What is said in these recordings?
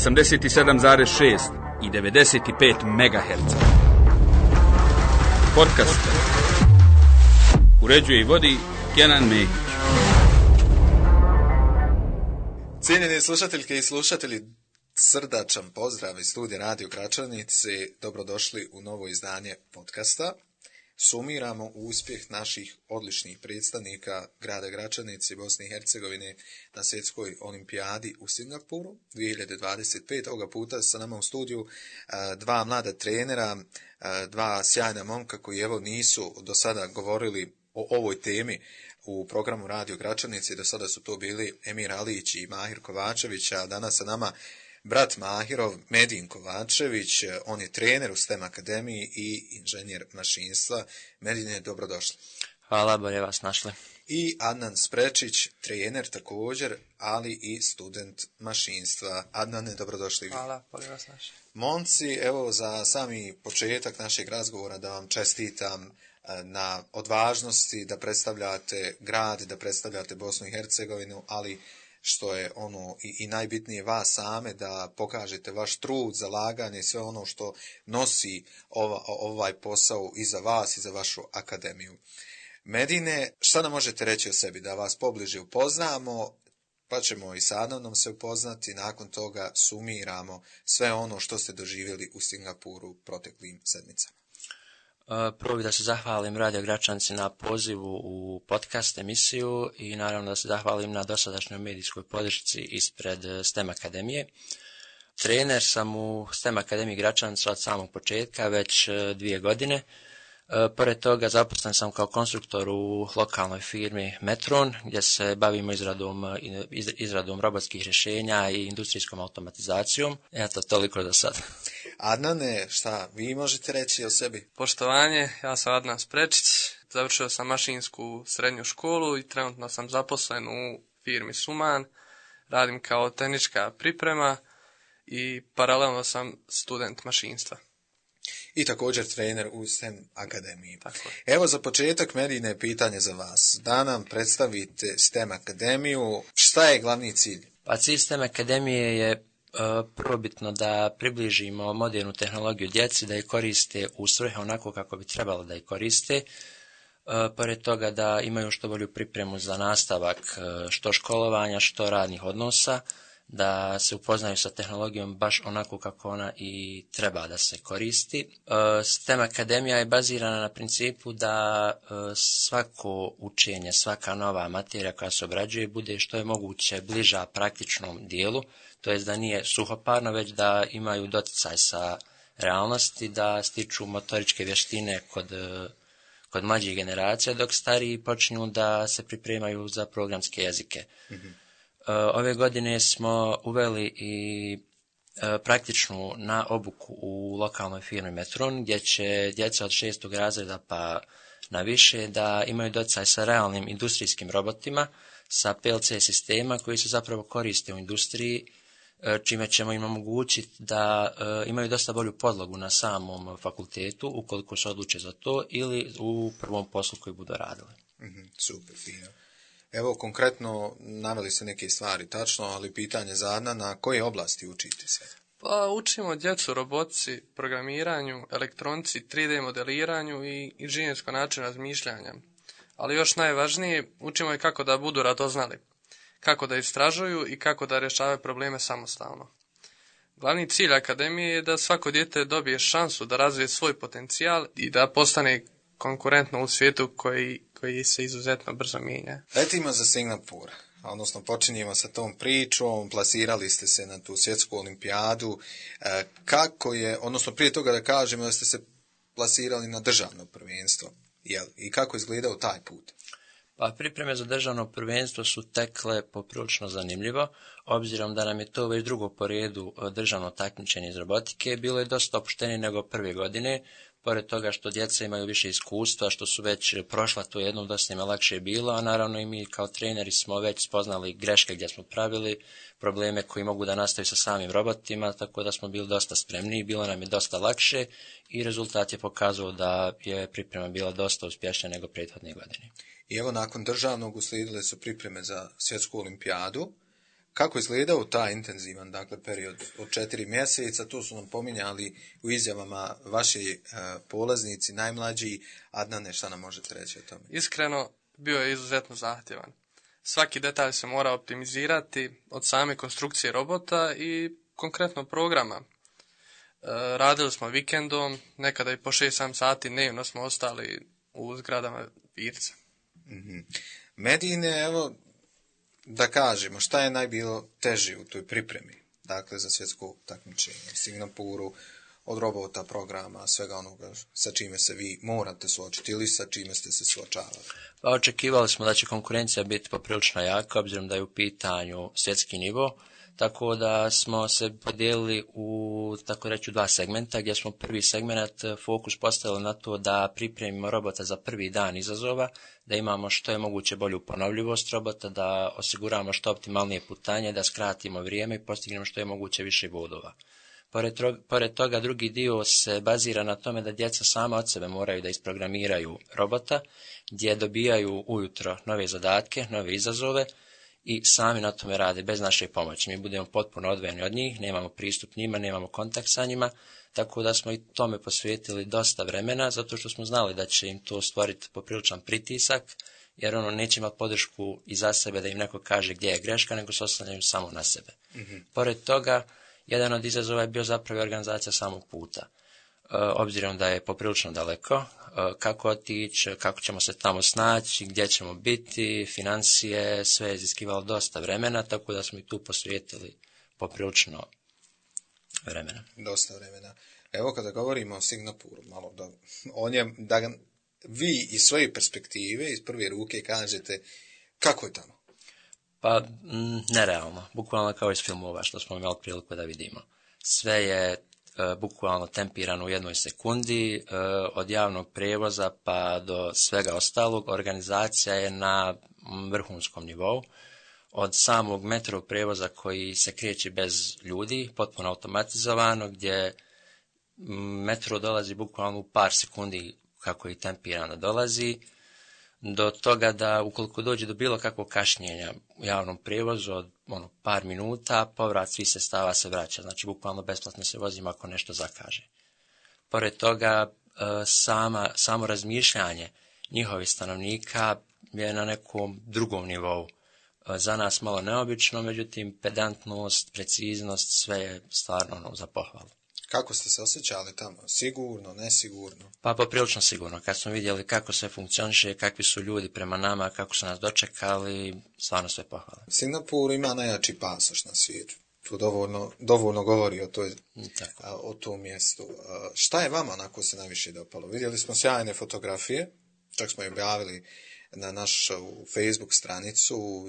87,6 i 95 MHz. Podcast uređuje i vodi Kenan Mehić. Cijenjeni slušateljke i slušatelji, srdačan pozdrav iz studija Radio Gračanice. Dobrodošli u novo izdanje podcasta. Sumiramo uspjeh naših odličnih predstavnika grada Gračanice i Bosne i Hercegovine na svjetskoj olimpijadi u Singapuru 2025. Ovoga puta sa nama u studiju dva mlada trenera, dva sjajna momka koji evo nisu do sada govorili o ovoj temi u programu Radio Gračanice. Do sada su to bili Emir Alić i Mahir Kovačević, a danas sa nama brat Mahirov, Medin Kovačević. On je trener u STEM akademiji i inženjer mašinstva. Medine, dobrodošli. Hvala, bolje vas našli. I Adnan Sprečić, trener također, ali i student mašinstva. Adnane, dobrodošli. Hvala, bolje vas našli. Momci, evo za sami početak našeg razgovora da vam čestitam na odvažnosti da predstavljate grad, da predstavljate Bosnu i Hercegovinu, ali što je ono i najbitnije vas same, da pokažete vaš trud, zalaganje, sve ono što nosi ovaj posao i za vas i za vašu akademiju. Medine, šta nam možete reći o sebi, da vas pobliže upoznamo, pa ćemo i sa Adnanom se upoznati, nakon toga sumiramo sve ono što ste doživjeli u Singapuru proteklim sedmicama. Prvo bih da se zahvalim Radio Gračanici na pozivu u podcast emisiju i naravno da se zahvalim na dosadašnjoj medijskoj podršci ispred STEM akademije. Trener sam u STEM akademiji Gračanica od samog početka, već 2 godine. Pored toga zaposlen sam kao konstruktor u lokalnoj firmi Metron, gdje se bavimo izradom robotskih rješenja i industrijskom automatizacijom. Eto, toliko za sad. Adnane, šta vi možete reći o sebi? Poštovanje, ja sam Adnan Sprečić, završio sam mašinsku srednju školu i trenutno sam zaposlen u firmi Suman, radim kao tehnička priprema i paralelno sam student mašinstva. I također trener u STEM akademiji. Tako. Evo za početak, Medine, pitanje za vas. Da nam predstavite STEM akademiju, šta je glavni cilj? Pa cilj STEM akademije je prvobitno da približimo modernu tehnologiju djeci, da je koriste u svrhe onako kako bi trebalo da je koriste. Pored toga da imaju što bolju pripremu za nastavak što školovanja, što radnih odnosa, da se upoznaju sa tehnologijom baš onako kako ona i treba da se koristi. STEM akademija je bazirana na principu da svako učenje, svaka nova materija koja se obrađuje bude što je moguće bliža praktičnom dijelu, to jest da nije suhoparno, već da imaju doticaj sa realnosti, da stiču motoričke vještine kod mlađih generacija, dok stariji počinju da se pripremaju za programske jezike. Mm-hmm. Ove godine smo uveli i praktičnu na obuku u lokalnoj firmi Metron, gdje će djeca od 6. razreda pa na više da imaju doticaj sa realnim industrijskim robotima, sa PLC sistema koji se zapravo koriste u industriji, čime ćemo im omogućiti da imaju dosta bolju podlogu na samom fakultetu, ukoliko se odluče za to, ili u prvom poslu koji budu radili. Mm-hmm, super, fino. Evo, konkretno naveli ste neke stvari, tačno, ali pitanje za Adna, na koje oblasti učite se? Pa učimo djecu robotici, programiranju, elektronici, 3D modeliranju i inženjersko način razmišljanja. Ali još najvažnije, učimo i kako da budu radoznali, kako da istražuju i kako da rješavaju probleme samostalno. Glavni cilj akademije je da svako dijete dobije šansu da razvije svoj potencijal i da postane konkurentno u svijetu koji se izuzetno brzo mijenja. Letimo za Singapur, odnosno počinjemo sa tom pričom, plasirali ste se na tu svjetsku olimpijadu. Kako je, odnosno prije toga da kažemo da ste se plasirali na državno prvenstvo, jel? I kako je izgledao taj put? Pa pripreme za državno prvenstvo su tekle poprilično zanimljivo, obzirom da nam je to već drugo po redu državno takmičenje iz robotike, bilo je dosta opuštenije nego prve godine. Pored toga što djeca imaju više iskustva, što su već prošla to jednom, dosta im je lakše bilo, a naravno i mi kao treneri smo već spoznali greške gdje smo pravili, probleme koji mogu da nastaju sa samim robotima, tako da smo bili dosta spremni, bilo nam je dosta lakše i rezultat je pokazao da je priprema bila dosta uspješnija nego prethodne godine. I evo nakon državnog uslijedile su pripreme za svjetsku olimpijadu. Kako izgledao taj intenzivan, dakle, period od 4 mjeseca? Tu su nam pominjali u izjavama vaši polaznici, najmlađi. Adnane, šta nam možete reći o tome? Iskreno, bio je izuzetno zahtjevan. Svaki detalj se mora optimizirati od same konstrukcije robota i konkretno programa. Radili smo vikendom, nekada i po 6-7 sati dnevno smo ostali u zgradama Virca. Medine, evo, da kažemo, šta je najbilo teži u toj pripremi, dakle, za svjetsko takmičenje, Singapuru, od robota, programa, svega onoga sa čime se vi morate suočiti ili sa čime ste se suočavali? Pa očekivali smo da će konkurencija biti poprilično jaka, obzirom da je u pitanju svjetski nivo, tako da smo se podijelili u, tako reći, 2 segmenta, gdje smo prvi segment fokus postavili na to da pripremimo robota za prvi dan izazova, da imamo što je moguće bolju ponovljivost robota, da osiguramo što optimalnije putanje, da skratimo vrijeme i postignemo što je moguće više bodova. Pored toga, drugi dio se bazira na tome da djeca sama od sebe moraju da isprogramiraju robota, gdje dobijaju ujutro nove zadatke, nove izazove i sami na tome rade bez naše pomoći. Mi budemo potpuno odvojeni od njih, nemamo pristup njima, nemamo kontakt sa njima, tako da smo i tome posvetili dosta vremena, zato što smo znali da će im to stvoriti popriličan pritisak, jer neće imati podršku iza sebe da im neko kaže gdje je greška, nego se oslanjaju samo na sebe. Pored toga, jedan od izazova je bio zapravo organizacija samog puta. Obzirom da je poprilično daleko, kako otići, kako ćemo se tamo snaći, gdje ćemo biti, financije, sve je iziskivalo dosta vremena, tako da smo i tu posvetili poprilično vremena. Dosta vremena. Evo kada govorimo o Singapuru, malo o njem, da vi iz svoje perspektive, iz prve ruke kažete kako je tamo? Pa, nerealno. Bukvalno kao iz filmova što smo imali priliku da vidimo. Sve je bukvalno tempirano u 1 sekundi, od javnog prijevoza pa do svega ostalog. Organizacija je na vrhunskom nivou. Od samog metro prijevoza koji se kreće bez ljudi, potpuno automatizovano, gdje metro dolazi bukvalno u par sekundi kako je tempirano dolazi, do toga da ukoliko dođe do bilo kakvog kašnjenja u javnom prijevozu od par minuta, povrat svih sredstava se vraća. Znači, bukvalno besplatno se vozimo ako nešto zakaže. Pored toga, samo razmišljanje njihovih stanovnika je na nekom drugom nivou. Za nas malo neobično, međutim, pedantnost, preciznost, sve je stvarno za pohvalu. Kako ste se osjećali tamo? Sigurno, nesigurno? Pa poprilično sigurno. Kad smo vidjeli kako sve funkcioniše, kakvi su ljudi prema nama, kako su nas dočekali, stvarno sve pohvale. Singapur ima najjači pasoš na svijetu. Tu dovoljno govori o tom mjestu. Šta je vama onako se najviše dopalo? Vidjeli smo sjajne fotografije, čak smo je objavili na našu Facebook stranicu,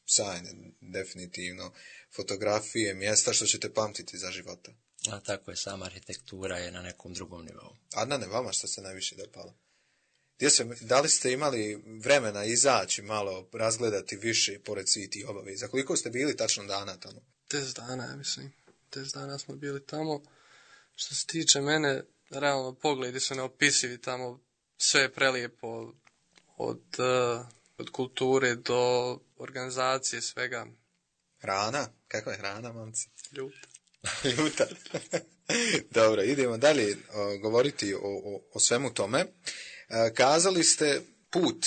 sjajne definitivno fotografije, mjesta što ćete pamtiti za života. A tako je, sama arhitektura je na nekom drugom nivou. Adnane, vama što se najviše dopalo? Da li ste imali vremena izaći malo, razgledati više pored svih tih obaveza? Koliko ste bili tačno dana tamo? 10 dana, ja mislim. 10 dana smo bili tamo. Što se tiče mene, realno pogledi su neopisivi tamo. Sve je prelijepo od kulture do organizacije, svega. Hrana? Kakva je hrana, momci? Ljuta. Dobro, idemo dalje govoriti o svemu tome. Kazali ste put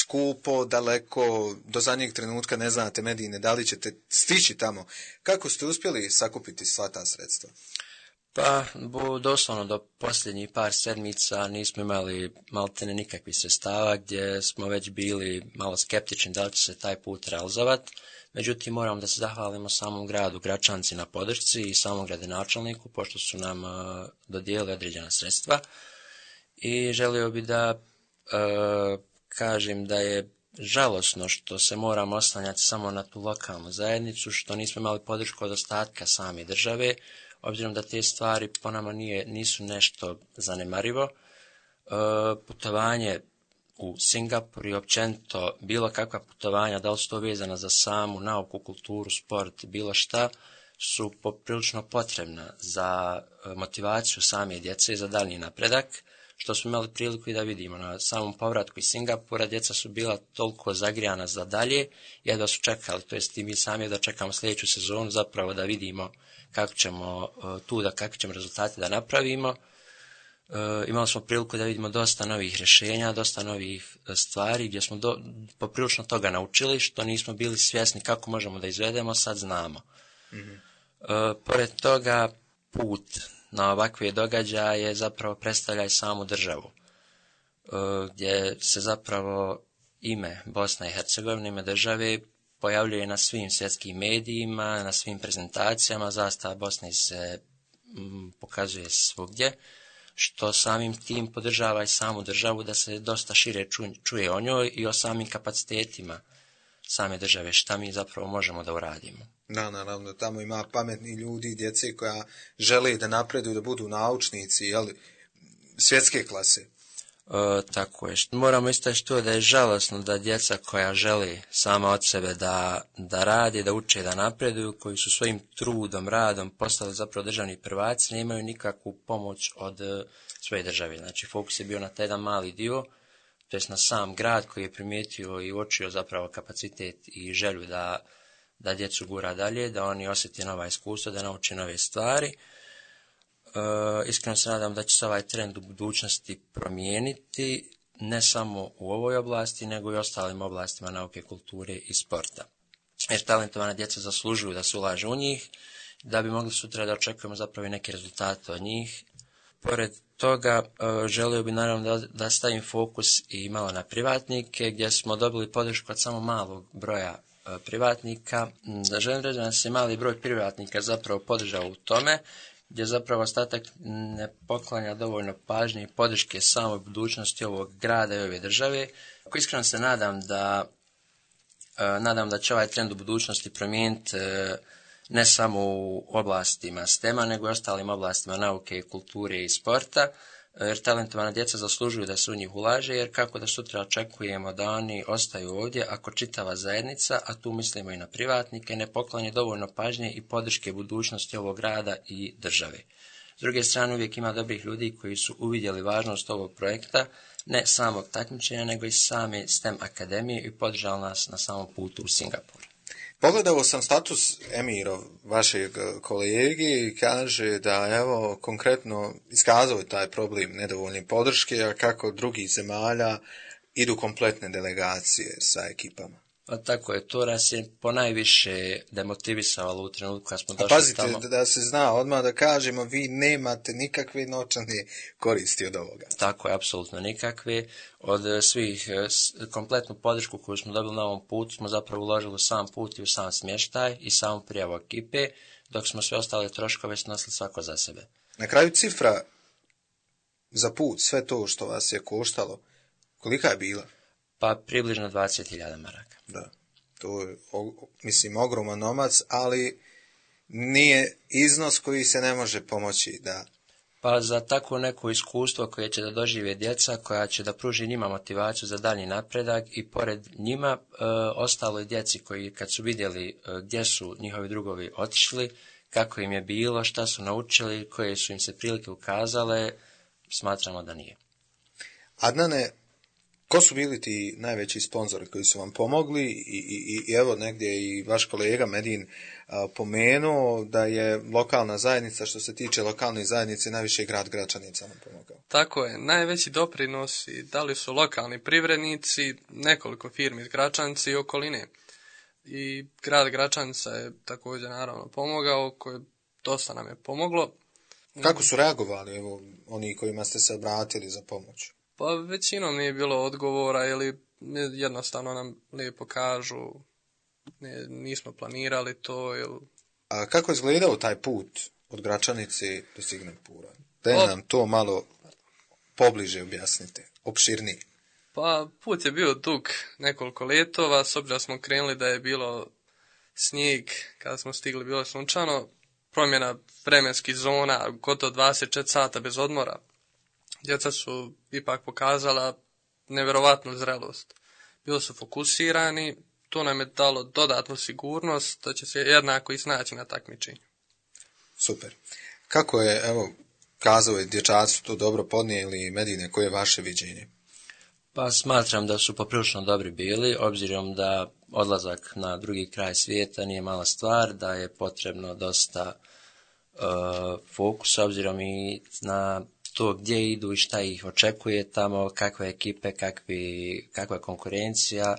skupo, daleko, do zadnjeg trenutka ne znate, Medine, da li ćete stići tamo. Kako ste uspjeli sakupiti sva ta sredstva? Pa, doslovno do posljednjih par sedmica nismo imali maltene nikakvih sredstava, gdje smo već bili malo skeptični da li će se taj put realizovati. Međutim, moramo da se zahvalimo samom gradu Gračanci na podršci i samom gradonačelniku, pošto su nam dodijelili određena sredstva. I želio bi da kažem da je žalosno što se moramo oslanjati samo na tu lokalnu zajednicu, što nismo imali podršku od ostatka same države, obzirom da te stvari po nama nisu nešto zanemarivo. Putovanje u Singapur i općenito bilo kakva putovanja, da li su to vezana za samu nauku, kulturu, sport, bilo šta, su poprilično potrebna za motivaciju same djece i za daljnji napredak, što smo imali priliku i da vidimo. Na samom povratku iz Singapura djeca su bila toliko zagrijana za dalje, jedva su čekali, to jest i mi sami da čekamo sljedeću sezonu, zapravo da vidimo kako ćemo kakve ćemo rezultate da napravimo. Imali smo priliku da vidimo dosta novih rješenja, dosta novih stvari gdje smo poprilično toga naučili, što nismo bili svjesni kako možemo da izvedemo, sad znamo. Pored toga, put na ovakve događaje zapravo predstavlja i samu državu, gdje se zapravo ime Bosna i Hercegovina, ime države, pojavljuje na svim svjetskim medijima, na svim prezentacijama, zastava Bosne se pokazuje svugdje, što samim tim podržava i samu državu da se dosta šire čuje o njoj i o samim kapacitetima same države, šta mi zapravo možemo da uradimo. Da, naravno, tamo ima pametni ljudi, djece koja žele da napreduju, da budu naučnici, svjetske klase. Tako je. Moramo istaći to da je žalosno da djeca koja žele sama od sebe da radi, da uče, da napreduju, koji su svojim trudom, radom postali zapravo državni prvaci, ne imaju nikakvu pomoć od svoje države. Znači, fokus je bio na taj jedan mali dio, to jest na sam grad koji je primijetio i uočio zapravo kapacitet i želju da djecu gura dalje, da oni osjete nova iskustva, da nauče nove stvari. Iskreno se nadam da će se ovaj trend u budućnosti promijeniti, ne samo u ovoj oblasti, nego i ostalim oblastima nauke, kulture i sporta. Jer talentovana djeca zaslužuju da se ulaže u njih, da bi mogli sutra da očekujemo zapravo i neke rezultate od njih. Pored toga, želio bi naravno da stavim fokus i malo na privatnike, gdje smo dobili podršku od samo malog broja privatnika. Želim reći da se mali broj privatnika zapravo podržao u tome, gdje zapravo ostatak ne poklanja dovoljno pažnje i podrške samoj budućnosti ovog grada i ove države. Ako iskreno se nadam da će ovaj trend u budućnosti promijeniti ne samo u oblastima STEM-a, nego i ostalim oblastima nauke, kulture i sporta, jer talentovana djeca zaslužuju da se u njih ulaže, jer kako da sutra očekujemo da oni ostaju ovdje ako čitava zajednica, a tu mislimo i na privatnike, ne poklanje dovoljno pažnje i podrške budućnosti ovog grada i države. S druge strane, uvijek ima dobrih ljudi koji su uvidjeli važnost ovog projekta, ne samog takmičenja, nego i same STEM akademije i podržali nas na samom putu u Singapur. Pogledao sam status Emirov, vašeg kolege, i kaže da, evo, konkretno iskazao je taj problem nedovoljne podrške, a kako drugih zemalja idu kompletne delegacije sa ekipama. Pa tako je, to nas je ponajviše demotivisalo u trenutku kad smo došli tamo. Pazite, da se zna odmah da kažemo, vi nemate nikakve novčane koristi od ovoga. Tako je, apsolutno nikakve. Od svih, kompletnu podršku koju smo dobili na ovom putu smo zapravo uložili u sam put i u sam smještaj i samu prijavu ekipe, dok smo sve ostale troškove snosili svako za sebe. Na kraju cifra za put, sve to što vas je koštalo, kolika je bila? Pa približno 20.000 maraka. Da, to je, mislim, ogroman novac, ali nije iznos koji se ne može pomoći, da. Pa za tako neko iskustvo koje će da dožive djeca, koja će da pruži njima motivaciju za dalji napredak i pored njima ostaloj djeci koji kad su vidjeli gdje su njihovi drugovi otišli, kako im je bilo, šta su naučili, koje su im se prilike ukazale, smatramo da nije. Adnane, ko su bili ti najveći sponzori koji su vam pomogli i evo negdje i vaš kolega Medin pomenuo da je lokalna zajednica, što se tiče lokalne zajednice, najviše grad Gračanica nam pomogao. Tako je, najveći doprinosi dali su lokalni privrednici, nekoliko firmi iz Gračanice i okoline. I grad Gračanica je također naravno pomogao, koje dosta nam je pomoglo. Kako su reagovali, evo, oni kojima ste se obratili za pomoć? Pa većinom nije bilo odgovora ili jednostavno nam lijepo kažu nismo planirali to. Ili... A kako je izgledao taj put od Gračanice do Singapura? Da nam to malo pobliže objasnite, opširnije. Pa put je bio dug nekoliko letova, s obzirom smo krenuli da je bilo snijeg, kada smo stigli bilo sunčano, promjena vremenskih zona, gotovo 24 sata bez odmora. Djeca su ipak pokazala nevjerovatnu zrelost. Bili su fokusirani, to nam je dalo dodatnu sigurnost da će se jednako i snaći na takmičenju. Super. Kako je, evo, kazao je, dječaci su to dobro podnijeli. Medine, koje je vaše viđenje? Pa smatram da su poprilično dobri bili, obzirom da odlazak na drugi kraj svijeta nije mala stvar, da je potrebno dosta fokusa, obzirom i na to gdje idu i šta ih očekuje tamo, kakve ekipe, kakva konkurencija.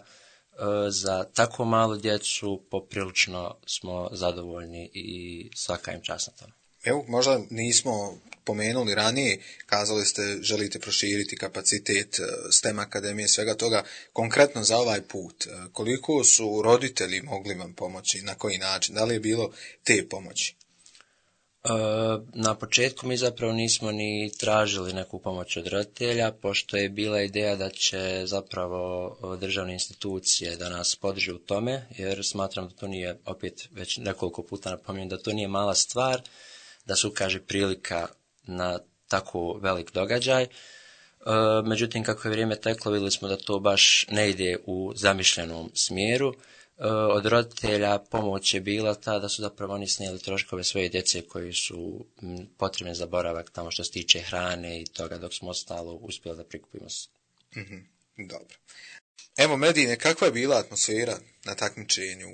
Za tako malu djecu poprilično smo zadovoljni i svaka im čast na tome. Evo, možda nismo pomenuli ranije, kazali ste želite proširiti kapacitet STEM akademije, svega toga, konkretno za ovaj put. Koliko su roditelji mogli vam pomoći, na koji način, da li je bilo te pomoći? Na početku mi zapravo nismo ni tražili neku pomoć od roditelja, pošto je bila ideja da će zapravo državne institucije da nas podrže u tome, jer smatram da to nije, opet već nekoliko puta napominjem, da to nije mala stvar, da se ukaže prilika na tako velik događaj. Međutim, kako je vrijeme teklo, vidjeli smo da to baš ne ide u zamišljenom smjeru. Od roditelja pomoć je bila ta da su zapravo oni snijeli troškove svoje djece koji su potrebne za boravak tamo što se tiče hrane i toga, dok smo ostalo uspjeli da prikupimo. Dobro. Evo, Medine, kakva je bila atmosfera na takmičenju?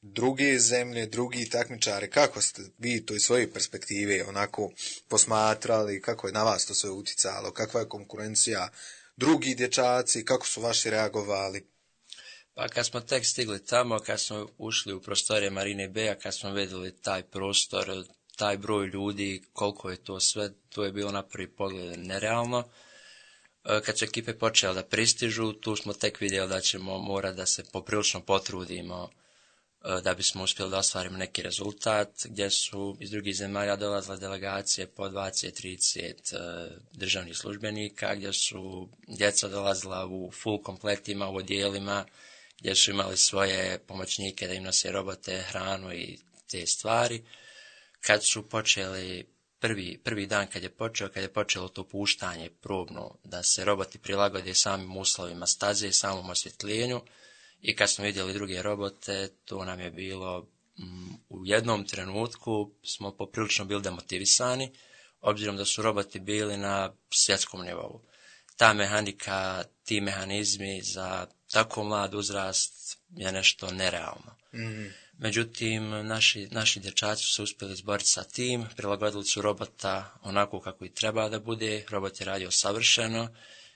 Druge zemlje, drugi takmičari, kako ste vi to iz svoje perspektive onako posmatrali, kako je na vas to sve uticalo, kakva je konkurencija, drugi dječaci, kako su vaši reagovali? Pa kad smo tek stigli tamo, kad smo ušli u prostorije Marine Beja, kad smo vidjeli taj prostor, taj broj ljudi, koliko je to sve, to je bilo na prvi pogled nerealno. Kad su ekipe počele da pristižu, tu smo tek vidjeli da ćemo morati da se poprilično potrudimo da bismo uspjeli da ostvarimo neki rezultat, gdje su iz drugih zemalja dolazile delegacije po 20-30 državnih službenika, gdje su djeca dolazila u full kompletima, u odjelima, gdje su imali svoje pomoćnike da im nose robote, hranu i te stvari. Kad su počeli, prvi dan kad je počelo to puštanje probno, da se roboti prilagode samim uslovima staze, samom osvjetljenju, i kad smo vidjeli druge robote, to nam je bilo, u jednom trenutku smo poprilično bili demotivisani, obzirom da su roboti bili na svjetskom nivou. Ta mehanika, ti mehanizmi za tako mlad uzrast je nešto nerealno. Međutim, naši dječaci su se uspjeli izboriti sa tim, prilagodili su robota onako kako i treba da bude, robot je radio savršeno,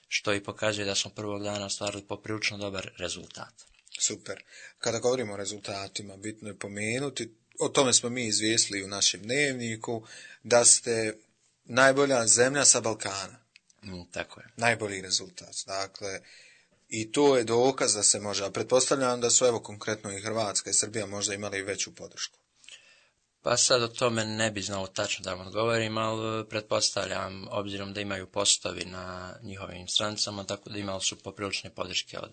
što i pokazuje da smo prvog dana ostvarili poprilično dobar rezultat. Super. Kada govorimo o rezultatima, bitno je pomenuti, o tome smo mi izvijestili u našem dnevniku, da ste najbolja zemlja sa Balkana. Tako je. Najbolji rezultat. Dakle, i to je dokaz da se može, a pretpostavljam da su evo konkretno i Hrvatska i Srbija možda imali veću podršku. Pa sad o tome ne bi znao tačno da vam odgovorim, ali pretpostavljam, obzirom da imaju postovi na njihovim stranicama, tako da imali su poprilične podrške od...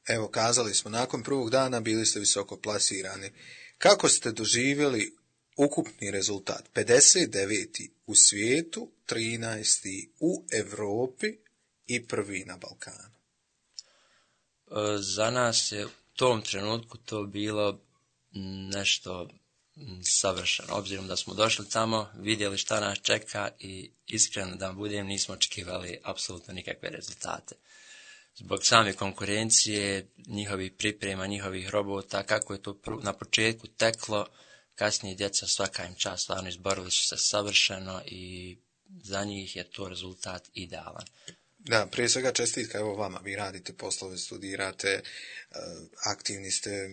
Evo, kazali smo, nakon prvog dana bili ste visoko plasirani. Kako ste doživjeli ukupni rezultat? 59. u svijetu, 13. u Europi i prvi na Balkanu. Za nas je u tom trenutku to bilo nešto savršeno, obzirom da smo došli tamo, vidjeli šta nas čeka i iskreno da budem nismo očekivali apsolutno nikakve rezultate. Zbog same konkurencije, njihovih priprema, njihovih robota, kako je to na početku teklo, kasnije djeca svaka im čast, stvarno izborili su se savršeno i za njih je to rezultat idealan. Da, prije svega čestitka evo vama, vi radite poslove, studirate, aktivni ste,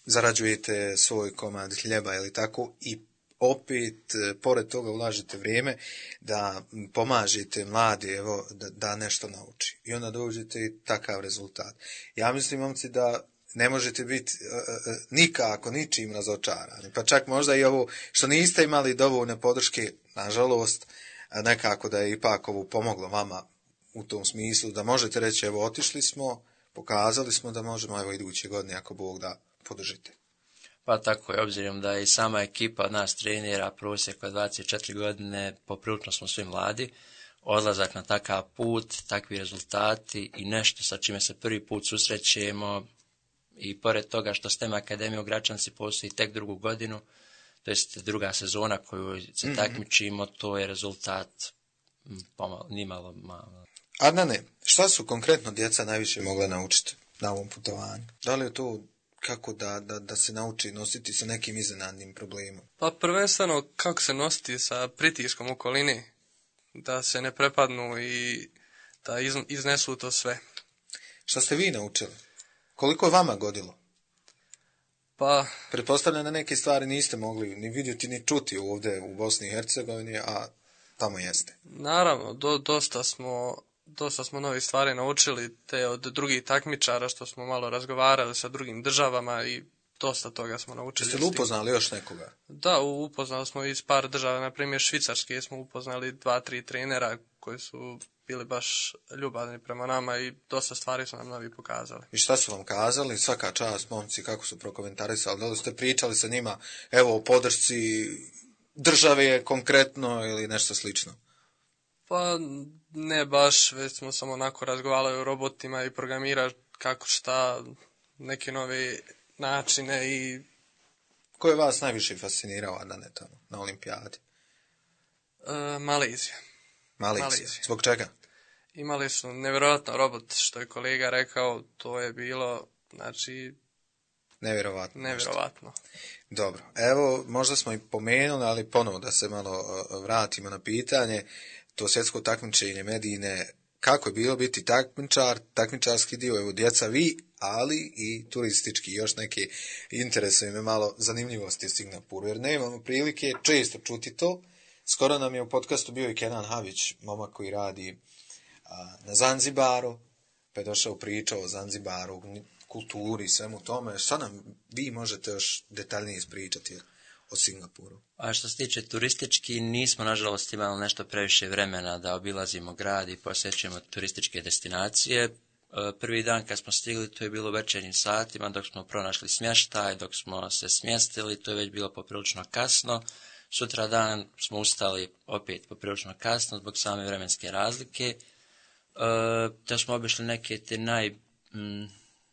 zarađujete svoj komad hljeba ili tako i opet, pored toga ulažete vrijeme da pomažete mladi, evo, da nešto nauči. I onda dođete i takav rezultat. Ja mislim, momci, da ne možete biti nikako ničim razočarani. Pa čak možda i ovo što niste imali dovoljne podrške, nažalost, nekako da je ipak ovo pomoglo vama u tom smislu, da možete reći, evo, otišli smo, pokazali smo da možemo, evo, iduće godine, ako Bog da, podržite. Pa tako je, obzirom da je i sama ekipa od nas trenera, prosjek od 24 godine, poprilično smo svi mladi, odlazak na takav put, takvi rezultati i nešto sa čime se prvi put susrećemo i pored toga što STEM Akademija u Gračanci postoji tek drugu godinu, to jest druga sezona koju se takmičimo, to je rezultat nimalo malo. Adnane, šta su konkretno djeca najviše mogla naučiti na ovom putovanju? Da li je to kako da se nauči nositi sa nekim iznenadnim problemom? Pa prvenstveno kako se nositi sa pritiskom u okolini, da se ne prepadnu i da iznesu to sve. Šta ste vi naučili? Koliko je vama godilo? Pa, pretpostavljam da neke stvari niste mogli ni vidjeti ni čuti ovdje u Bosni i Hercegovini, a tamo jeste. Naravno, dosta smo novih stvari naučili, te od drugih takmičara što smo malo razgovarali sa drugim državama i dosta toga smo naučili. Jeste li upoznali još nekoga? Da, upoznali smo iz par država, na primjer Švicarske smo upoznali 2-3 trenera koji su bili baš ljubavni prema nama i dosta stvari su nam novi pokazali. I šta su vam kazali? Svaka čast, momci, kako su prokomentarisali? Da li ste pričali sa njima, evo, o podršci države konkretno ili nešto slično? Pa ne baš, već smo samo onako razgovarali o robotima i programirali kako šta, neke nove načine i... Ko je vas najviše fascinirao na olimpijadi? Malezija. Malezija. Zbog čega? Imali su nevjerojatno robot, što je kolega rekao, to je bilo, znači... Nevjerovatno. Dobro, evo, možda smo i pomenuli, ali ponovo da se malo vratimo na pitanje, to svjetsko takmičenje Medine, kako je bilo biti takmičar, takmičarski dio, evo djeca vi, ali i turistički, još neke interesuje me malo zanimljivosti u Singapuru, jer nemamo prilike često čuti to. Skoro nam je u podcastu bio i Kenan Havić, momak koji radi na Zanzibaru, pa je došao pričao o Zanzibaru, kulturi i svemu tome. Šta nam vi možete još detaljnije ispričati o Singapuru? A što se tiče turistički, nismo nažalost imali nešto previše vremena da obilazimo grad i posjećujemo turističke destinacije. Prvi dan kad smo stigli, to je bilo u večernjim satima, dok smo pronašli smještaj, dok smo se smjestili, to je već bilo poprilično kasno. Sutra dan smo ustali opet poprilično kasno zbog same vremenske razlike. Da smo obišli neke te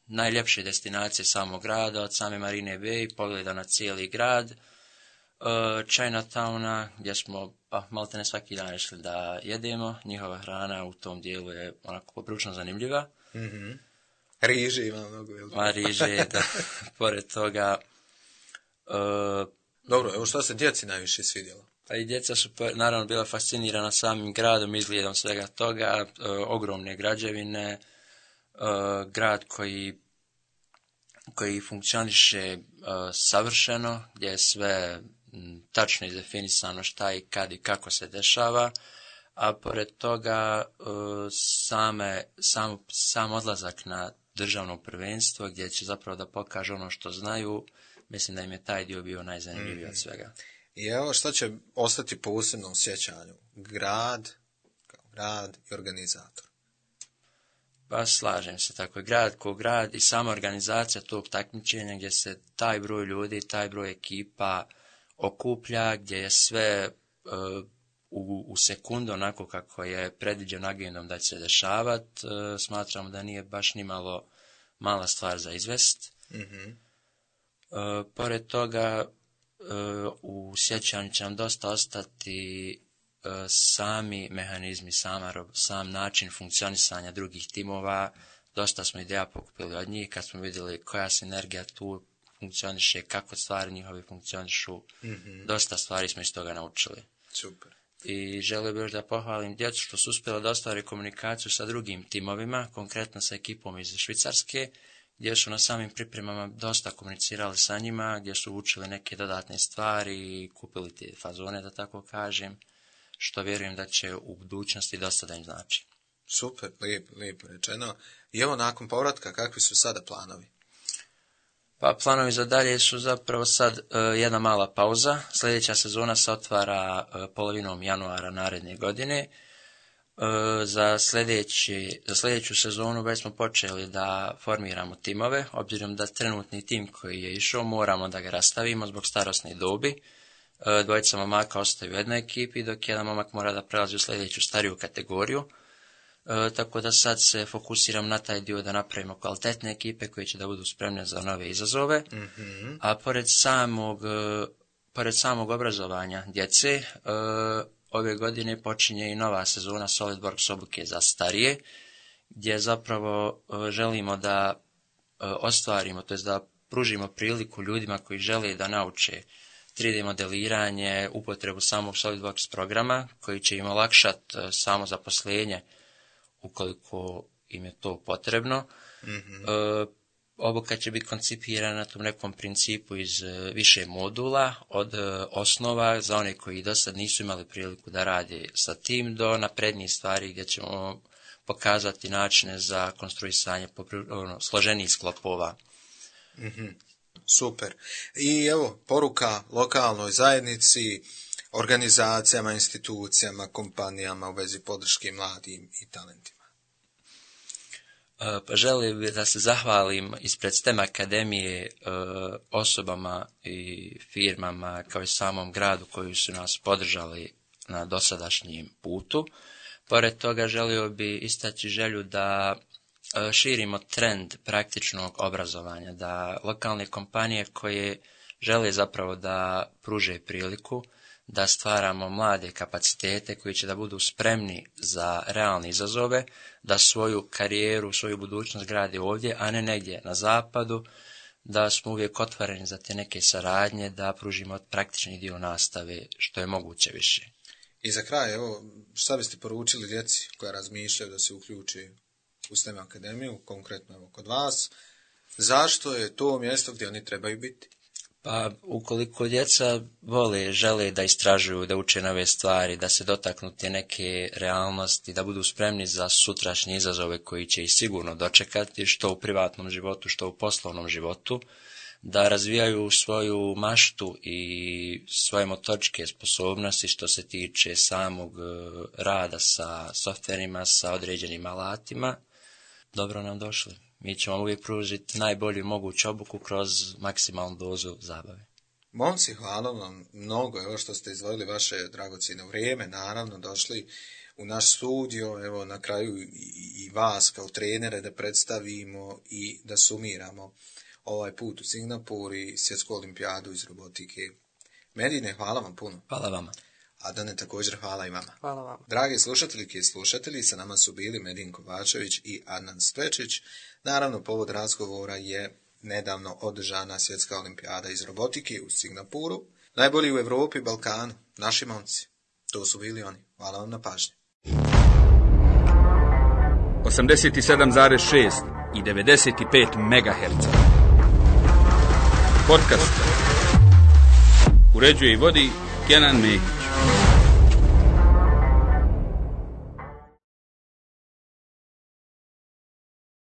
najljepše destinacije samog grada, od same Marine Bay, pogleda na cijeli grad, Chinatowna, gdje smo maltene svaki dan išli da jedemo. Njihova hrana u tom dijelu je onako poprilično zanimljiva. Mm-hmm. Riže ima mnogo. Riže, da. Pored toga... Dobro, evo što se djeci najviše svidjelo? Pa i djeca su naravno bila fascinirana samim gradom, izgledom svega toga, ogromne građevine, grad koji funkcioniše savršeno, gdje je sve tačno izdefinisano šta i kad i kako se dešava, a pored toga sam odlazak na državno prvenstvo gdje će zapravo da pokaže ono što znaju, mislim da im je taj dio bio najzanimljiviji od svega. I evo što će ostati po posebnom sjećanju? Grad, kao grad i organizator. Pa slažem se, tako je grad ko grad i sama organizacija tog takmičenja gdje se taj broj ljudi, taj broj ekipa okuplja, gdje je sve u sekundu onako kako je predviđeno agendom da će se dešavati, smatramo da nije baš ni mala stvar za izvest. Mm-hmm. Pored toga, u sjećanju će nam dosta ostati sami mehanizmi, sam način funkcionisanja drugih timova. Dosta smo ideja pokupili od njih kad smo vidjeli koja sinergija tu funkcioniše, kako stvari njihove funkcionišu. Mm-hmm. Dosta stvari smo iz toga naučili. Super. I želio bih još da pohvalim djecu što su uspjeli da ostvare komunikaciju sa drugim timovima, konkretno sa ekipom iz Švicarske, gdje su na samim pripremama dosta komunicirali sa njima, gdje su učili neke dodatne stvari i kupili te fazone, da tako kažem, što vjerujem da će u budućnosti dosta da im znači. Super, lijepo rečeno. I evo nakon povratka, kakvi su sada planovi? Pa planovi za dalje su zapravo sad jedna mala pauza. Sljedeća sezona se otvara polovinom januara naredne godine. Za sljedeću sezonu već smo počeli da formiramo timove, obzirom da trenutni tim koji je išao moramo da ga rastavimo zbog starosne dobi. Dvojica momaka ostaju u jednoj ekipi, dok jedan momak mora da prelazi u sljedeću stariju kategoriju. Tako da sad se fokusiram na taj dio da napravimo kvalitetne ekipe koje će da budu spremne za nove izazove. Mm-hmm. A pored pored samog obrazovanja djece, ove godine počinje i nova sezona SolidWorks obuke za starije, gdje zapravo želimo da ostvarimo, to jest da pružimo priliku ljudima koji žele da nauče 3D modeliranje, upotrebu samog SolidWorks programa, koji će im olakšati samo zaposlenje ukoliko im je to potrebno. Obuka će biti koncipirana na tom nekom principu iz više modula, od osnova za one koji do sad nisu imali priliku da rade sa tim, do naprednijih stvari gdje ćemo pokazati načine za konstruisanje složenih sklopova. Super. I evo, poruka lokalnoj zajednici, organizacijama, institucijama, kompanijama u vezi podrške mladim i talentima. Pa želim da se zahvalim ispred STEM akademije osobama i firmama kao i samom gradu koji su nas podržali na dosadašnjem putu. Pored toga želio bi istaći želju da širimo trend praktičnog obrazovanja, da lokalne kompanije koje žele zapravo da pruže priliku, da stvaramo mlade kapacitete koji će da budu spremni za realne izazove, da svoju karijeru, svoju budućnost grade ovdje, a ne negdje na zapadu, da smo uvijek otvoreni za te neke saradnje, da pružimo praktični dio nastave što je moguće više. I za kraj, evo, šta biste poručili djeci koja razmišljaju da se uključi u STEM akademiju, konkretno evo kod vas, zašto je to mjesto gdje oni trebaju biti? Pa, ukoliko djeca vole, žele da istražuju, da uče nove stvari, da se dotaknu te neke realnosti, da budu spremni za sutrašnje izazove koji će ih sigurno dočekati, što u privatnom životu, što u poslovnom životu, da razvijaju svoju maštu i svoje motoričke sposobnosti što se tiče samog rada sa softverima, sa određenim alatima, dobro nam došli. Mi ćemo uvijek pružiti najbolju moguću obuku kroz maksimalnu dozu zabave. Momci, hvala vam mnogo, evo što ste izdvojili vaše dragocjeno vrijeme, naravno došli u naš studio, evo na kraju i vas kao trenere da predstavimo i da sumiramo ovaj put u Singapur i svjetsku olimpijadu iz robotike. Medine, hvala vam puno. Hvala vama. Adane, također hvala i vama. Hvala vam. Dragi slušateljke i slušatelji, sa nama su bili Medin Kovačević i Adnan Spečić. Naravno, povod razgovora je nedavno održana svjetska olimpijada iz robotike u Singapuru. Najbolji u Europi i Balkanu, naši momci. To su bili oni. Hvala vam na pažnji. 87,6 i 95 MHz. Podcast. Uređuje i vodi Kenan Mehić.